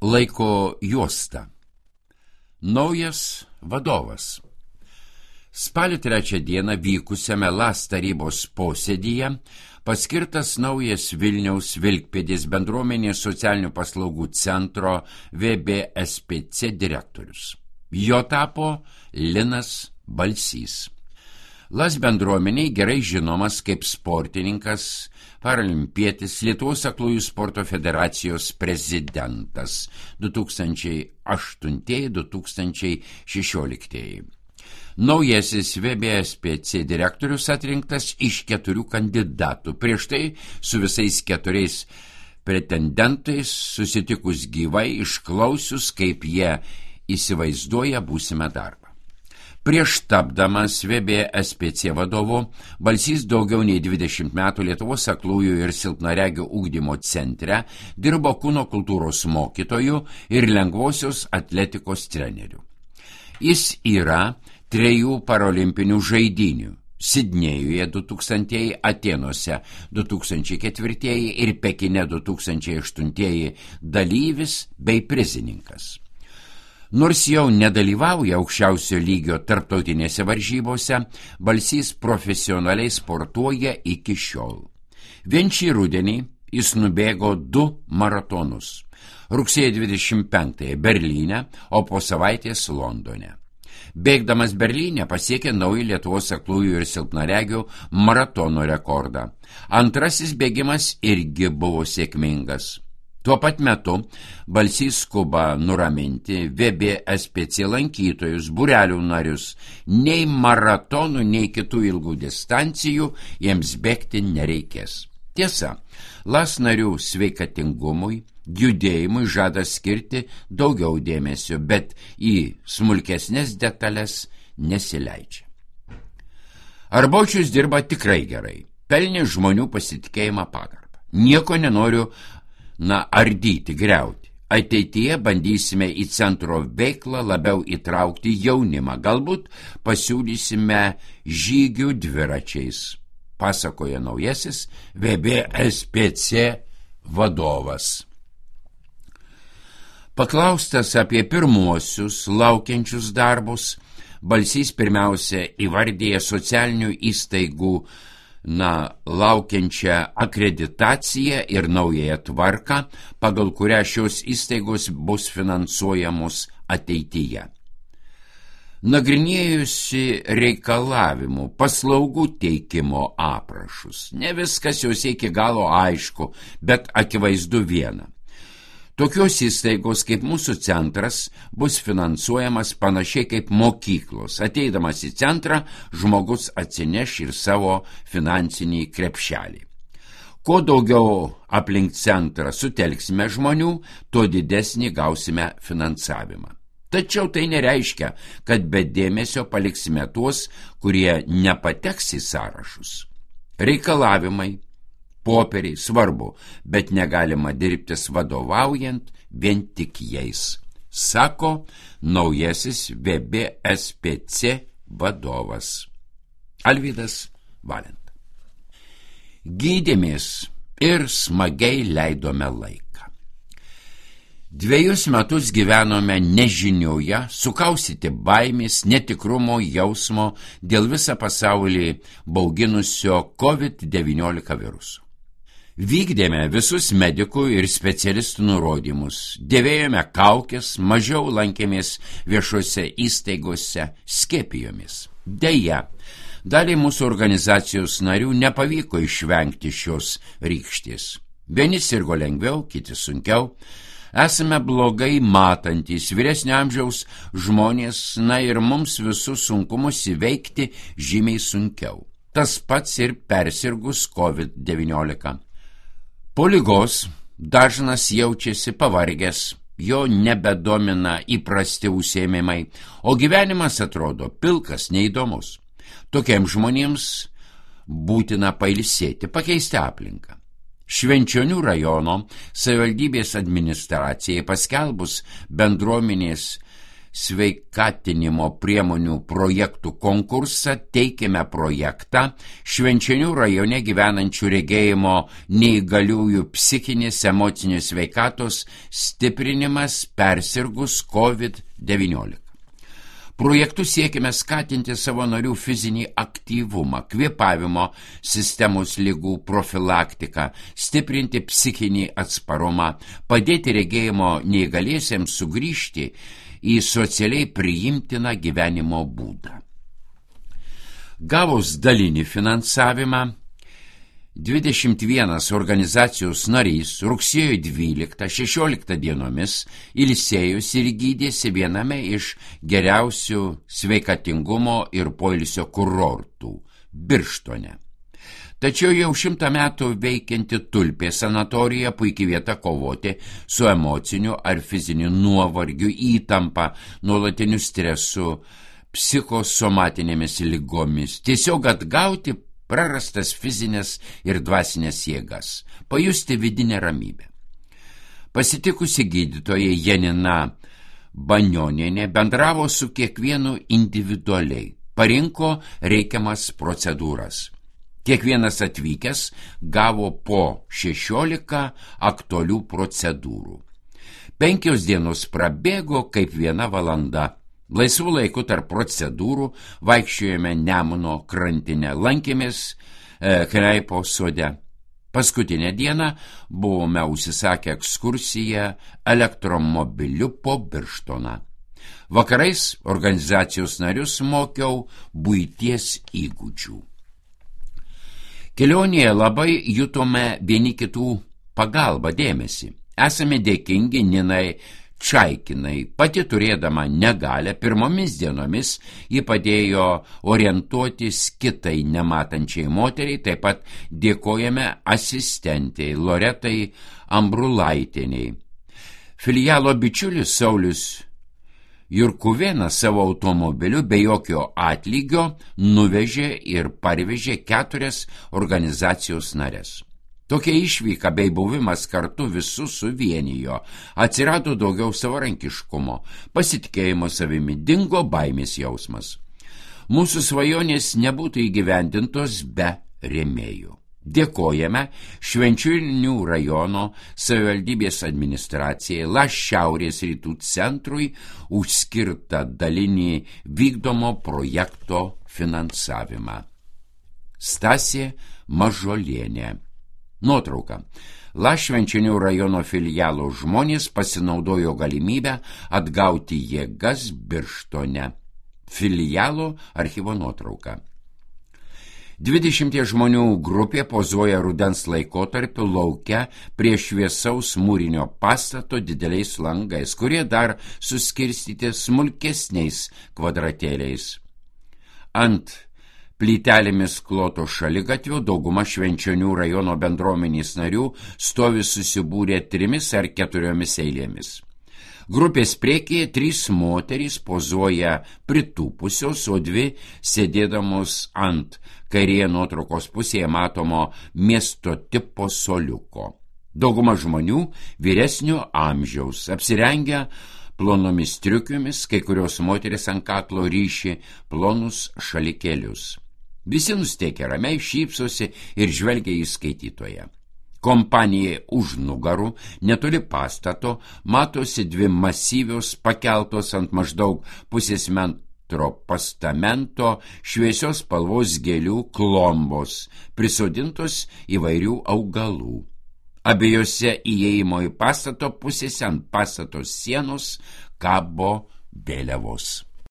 Laiko juosta. Naujas vadovas. Spalio 3 dieną vykusiame LAS tarybos posėdyje paskirtas naujas Vilniaus Vilkpėdės bendruomenės socialinių paslaugų centro VBSPC direktorius. Jo tapo Linas Balsys. LAS bendruomeniai gerai žinomas kaip sportininkas, paralimpietis, Lietuvos aklųjų sporto federacijos prezidentas 2008-2016. Naujasis VBSPC direktorius atrinktas iš 4 kandidatų. Prieš tai su visais 4 pretendentais susitikus gyvai, išklausius, kaip jie įsivaizduoja būsimą darbą. Prieš tapdamas VBSPC vadovu, Balsys daugiau nei 20 metų Lietuvos aklųjų ir silpnaregių ugdymo centre dirbo kūno kultūros mokytojų ir lengvosios atletikos treneriu. Jis yra 3 parolimpinių žaidynių – Sidnėjuje 2000, Atėnuose 2004 ir Pekine 2008 dalyvis bei prizininkas. Nors jau nedalyvauja aukščiausio lygio tarptautinėse varžybose, Balsys profesionaliai sportuoja iki šiol. Vien šį rudenį jis nubėgo 2 maratonus. Rugsėjo 25 Berlyne, o po savaitės Londone. Bėgdamas Berlyne pasiekė naują Lietuvos aklųjų ir silpnaregių maratono rekordą. Antrasis bėgimas irgi buvo sėkmingas. Tuo pat metu Balsys skuba nuraminti VBSPC lankytojus, būrelių narius. Nei maratonų, nei kitų ilgų distancijų jiems bėgti nereikės. Tiesa, LAS narių sveikatingumui, judėjimui žada skirti daugiau dėmesio, bet į smulkesnės detalės nesileidžia. Arbočius dirba tikrai gerai, pelnė žmonių pasitikėjimą pagarbą. Nieko nenoriu ardyti, griauti. Ateityje bandysime į centro veiklą labiau įtraukti jaunimą, galbūt pasiūlysime žygių dviračiais, pasakoja naujasis VBSPC vadovas. Paklaustas apie pirmuosius laukiančius darbus, Balsys pirmiausia įvardija socialinių įstaigų laukiančią akreditaciją ir naująją tvarką, pagal kurią šios įstaigos bus finansuojamos ateityje. Nagrinėjusi reikalavimų, paslaugų teikimo aprašus. Ne viskas jos iki galo aišku, bet akivaizdu viena. Tokios įstaigos kaip mūsų centras bus finansuojamas panašiai kaip mokyklos. Ateidamas į centrą, žmogus atsineš ir savo finansinį krepšelį. Kuo daugiau aplink centrą sutelksime žmonių, tuo didesnį gausime finansavimą. Tačiau tai nereiškia, kad be dėmesio paliksime tuos, kurie nepateks į sąrašus. Reikalavimai, popieriai svarbu, bet negalima dirbtis vadovaujant vien tik jais, sako naujasis VBSPC vadovas. Alvydas Valenta. Gydėmės ir smagiai leidome laiką. 2 metus gyvenome nežinioje, sukaustyti baimės, netikrumo jausmo dėl visą pasaulį bauginusio COVID-19 viruso. Vykdėme visus medikų ir specialistų nurodymus, dėvėjome kaukes, mažiau lankėmės viešose įstaigose, skiepijomės. Deja, daliai mūsų organizacijos narių nepavyko išvengti šios rykštės. Vieni sirgo lengviau, kiti sunkiau. Esame blogai matantys vyresnio amžiaus žmonės, ir mums visus sunkumus įveikti žymiai sunkiau. Tas pats ir persirgus COVID-19. Po ligos dažnas jaučiasi pavargęs, jo nebedomina įprasti užsiėmimai, o gyvenimas atrodo pilkas, neįdomus. Tokiems žmonėms būtina pailsėti, pakeisti aplinką. Švenčionių rajono savivaldybės administracijai paskelbus bendruomenės sveikatinimo priemonių projektų konkursą teikėme projektą Švenčionių rajone gyvenančių regėjimo neįgaliųjų psichinės emocinės sveikatos stiprinimas persirgus COVID-19. Projektu siekime skatinti savo narių fizinį aktyvumą, kvėpavimo sistemos ligų profilaktiką, stiprinti psichinį atsparumą, padėti regėjimo neįgaliesiems sugrįžti į socialiai priimtiną gyvenimo būdą. Gavus dalinį finansavimą, 21 organizacijos narys rugsėjo 12-16 dienomis ilsėjosi ir gydėsi viename iš geriausių sveikatingumo ir poilsio kurortų – Birštone. Tačiau jau 100 metų veikianti Tulpė sanatorija puikiai vieta kovoti su emociniu ar fiziniu nuovargiu, įtampa, nuolatiniu stresu, psichosomatinėmis ligomis, tiesiog atgauti prarastas fizinės ir dvasinės jėgas, pajusti vidinę ramybę. Pasitikusi gydytoja Janina Banionienė bendravo su kiekvienu individualiai, parinko reikiamas procedūras. Kiekvienas atvykęs gavo po 16 aktualių procedūrų. 5 dienos prabėgo kaip 1 valanda. Laisvų laikų tarp procedūrų vaikščiojame Nemuno krantinę, lankėmės Kreipo sode. Paskutinę dieną buvome užsisakę ekskursiją elektromobiliu po Birštoną. Vakarais organizacijos narius mokiau buities įgūdžių. Kelionėje labai jutome vieni kitų pagalbą, dėmesį. Esame dėkingi Ninai Čaikinai, pati turėdama negalią, pirmomis dienomis ji padėjo orientuotis kitai nematančiai moteriai, taip pat dėkojame asistentei Loretai Ambrulaitieniai. Filialo bičiulis Saulius Jurkuvėnas savo automobiliu be jokio atlygio nuvežė ir parvežė 4 organizacijos narės. Tokia išvyka bei buvimas kartu visus suvienijo, atsirado daugiau savarankiškumo, pasitikėjimo savimi, dingo baimės jausmas. Mūsų svajonės nebūtų įgyvendintos be rėmėjų. Dėkojame Švenčionių rajono savivaldybės administracijai, Šiaurės rytų centrui už skirtą dalinį vykdomo projekto finansavimą. Stasė Mažolienė. Nuotrauka. Švenčionių rajono filialo žmonės pasinaudojo galimybę atgauti jėgas Birštone. Filialo archyvo nuotrauka. 20 žmonių grupė pozuoja rudens laikotarpiu lauke prie šviesaus mūrinio pastato dideliais langais, kurie dar suskirstyti smulkesniais kvadratėliais. Ant plytelėmis kloto šaligatvio dauguma Švenčionių rajono bendruomenės narių stovi susibūrę 3 ar 4 eilėmis. Grupės priekyje 3 moterys pozuoja pritūpusios, o 2 sėdėdamos ant kairėje nuotraukos pusėje matomo miesto tipo soliuko. Dauguma žmonių vyresnio amžiaus, apsirengę plonomis striukėmis, kai kurios moteris ant kaklo ryši plonus šalikėlius. Visi nusteikę ramiai, šypsosi ir žvelgia į skaitytoją. Kompanija už nugarų, netoli pastato, matosi 2 masyvios pakeltos ant maždaug pusės metro postamento šviesios spalvos gėlių klombos, prisodintos įvairių augalų. Abiejose įėjimo į pastato pusėse ant pastato sienos kabo vėliavos.